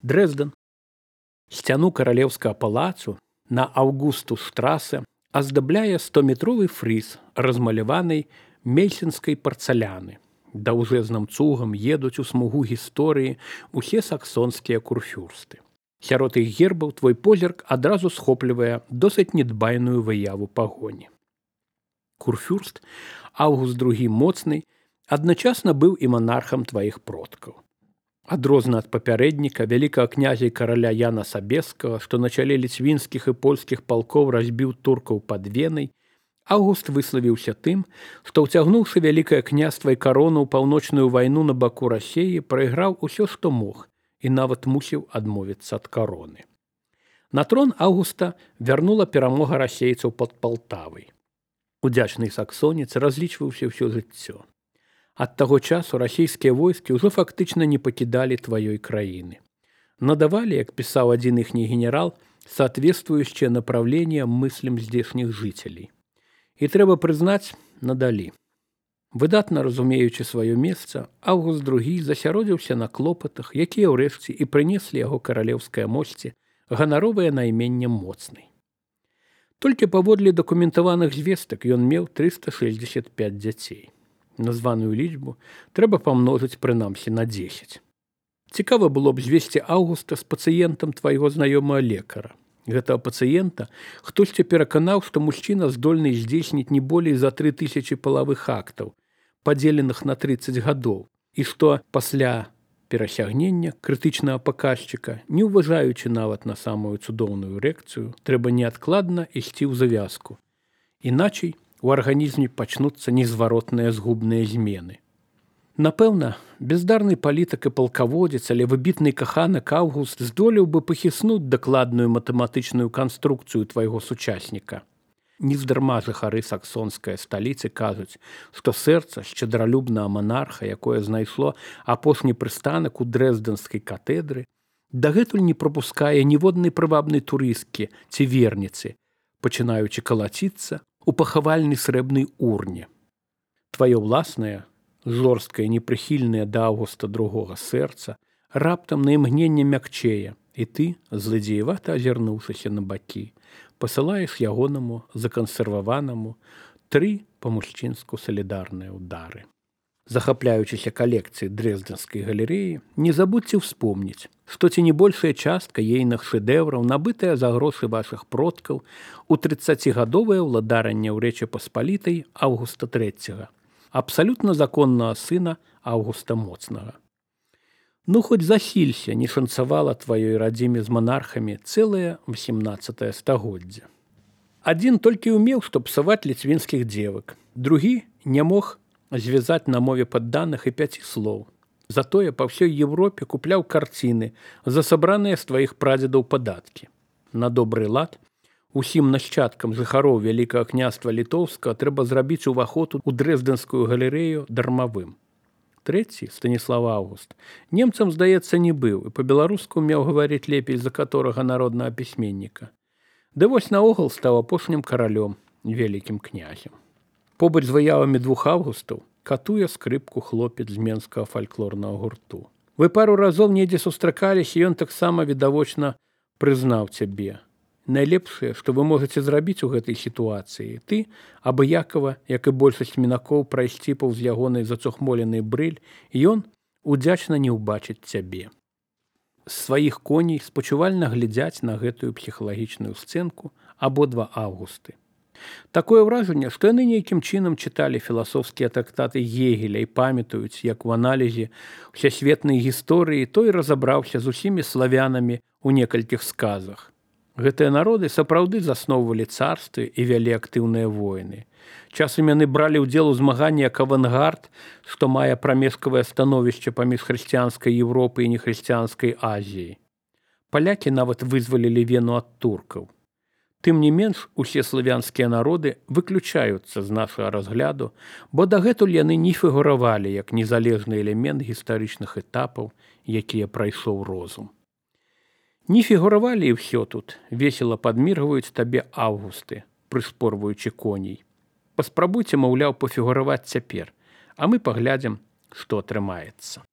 Дрэздэн. Сцяну каралеўскага палацу на Аўгустус-штрасе аздабляе 100-метровы фрыз, размаляванай мельсінскай парцаляны. Даўжэзным цугам едуць у смугу гісторыі усе саксонскія курфюрсты. Сярод іх гербаў твой позірк адразу схоплівае досыць недбайную выяву пагоні. Курфюрст Аўгуст II моцны адначасна быў і манархам тваіх продкаў. Адрозна ад папярэдніка вялікага князя і караля Яна Сабескага, што на чале ліцвінскіх і польскіх палкоў разбіў туркаў пад Венай, Аўгуст выславіўся тым, што, ўцягнуўшы вялікае княства і карону ў паўночную вайну на баку Расеі, прайграў усё, што мог, і нават мусіў адмовіцца ад кароны. На трон Аўгуста вярнула перамога расейцаў пад Палтавай. Удзячны саксонец разлічваўся ўсё жыццё. Ад таго часу расійскія войскі ўжо фактычна не пакідалі тваёй краіны. Надавалі, як пісаў адзін іхні генерал, соответствующее направление мыслям здешніх жыцелей. І трэба прызнаць, надалі. Выдатна разумеючы сваё месца, Аўгуст II засяродзіўся на клопатах, якія ўрэшце і прынеслі яго каралеўскай мосці ганаровае найменне моцнай. Толькі паводле дакументаваных звестак ён меў 365 дзяцей. Названую лічбу трэба памножыць прынамсі на 10. Цікава было б звесці Аўгуста з пацыентам твайго знаёмага лекара. Гэтага пацыента хтосьці пераканаў, што мужчына здольны здзейсніць не болей за 3000 палавых актаў, падзеленых на 30 гадоў, і што пасля перасягнення крытычнага паказчыка, не ўважаючы нават на самую цудоўную эрэкцыю, трэба неадкладна ісці ў завязку. Іначай у арганізме пачнуцца незваротныя згубныя змены. Напэўна, бездарны палітык і палкаводзец, але выбітны каханак Аўгуст здолеў бы пахіснуць дакладную матэматычную канструкцыю твайго сучасніка. Нездарма жыхары саксонскай сталіцы кажуць, што сэрца шчадралюбнага монарха, якое знайшло апошні прыстанак у дрэздэнскай катэдры, дагэтуль не прапускае ніводнай прывабнай турысткі ці верніцы, пачынаючы калаціцца у пахавальнай срэбнай урне. Тваё ўласнае, жорсткае, непрыхільнае да Аўгуста II сэрца раптам на імгненне мякчэе, і ты, злыдзеевата азірнуўшыся на бакі, пасылаеш ягонаму закансерваванаму 3 па-мужчынску салідарныя ўдары. Захапляючыся калекцыяй дрэздэнскай галерэі, не забудзьце ўспомніць, што ці не большая частка ейных шэдэўраў, набытая за грошы вашых продкаў у 30гадовае ўладаранне ў Рэчы Паспалітай Аўгуста III, абсалютна законнага сына Аўгуста Моцнага. Ну, хоць засілься, не шанцавала тваёй радзіме з монархамі цэлае 18 стагоддзе. Адзін толькі ўмеў, што псаваць ліцвінскіх дзевак, другі не мог звязаць на мове падданых і 5 слоў. Затое па ўсёй Европе купляў карціны за сабраныя з тваіх прадзедаў падаткі. На добры лад усім нашчадкам жыхароў Вялікага княства Літоўскага трэба зрабіць уваход у дрэздэнскую галерэю дармавым. Трэці, Станіслав Аўгуст, немцам, здаецца, не быў і па-беларуску умеў гаварыць лепей за каторага народнага пісьменніка. Ды вось наогул стаў апошнім каралём, вялікім князем. Побач з выявамі 2 Аўгустаў катуе скрыпку хлопец з менскага фальклорнага гурту. Вы пару разоў недзе сустракаліся, і ён таксама відавочна прызнаў цябе. Найлепшае, што вы можаце зрабіць у гэтай сітуацыі, ты, абыякава, як і большасць мінакоў, прайсці паўз ягонай зацухмоленай брыль, і ён удзячна не ўбачыць цябе. З сваіх коней спачувальна глядзяць на гэтую псіхалагічную сцэнку абодва Аўгусты. Такое ўражанне, што яны нейкім чынам чыталі філасофскія трактаты Гегеля і памятаюць, як у аналізе ўсесветнай гісторыі той разабраўся з усімі славянамі ў некалькіх сказах. Гэтыя народы сапраўды засноўвалі царствы і вялі актыўныя войны. Часам яны бралі ўдзел у змаганні як авангард, што мае прамежкавае становішча паміж хрысціянскай Европай і нехрысціянскай Азіяй. Палякі нават вызвалілі Вену ад туркаў. Тым не менш, усе славянскія народы выключаюцца з нашага разгляду, бо дагэтуль яны не фігуравалі як незалежны элемент гістарычных этапаў, якія прайшоў розум. Не фігуравалі і ўсё тут, весела падміргваюць табе Аўгусты, прыспорваючы коней. Паспрабуйце, маўляў, пафігураваць цяпер, а мы паглядзім, што атрымаецца.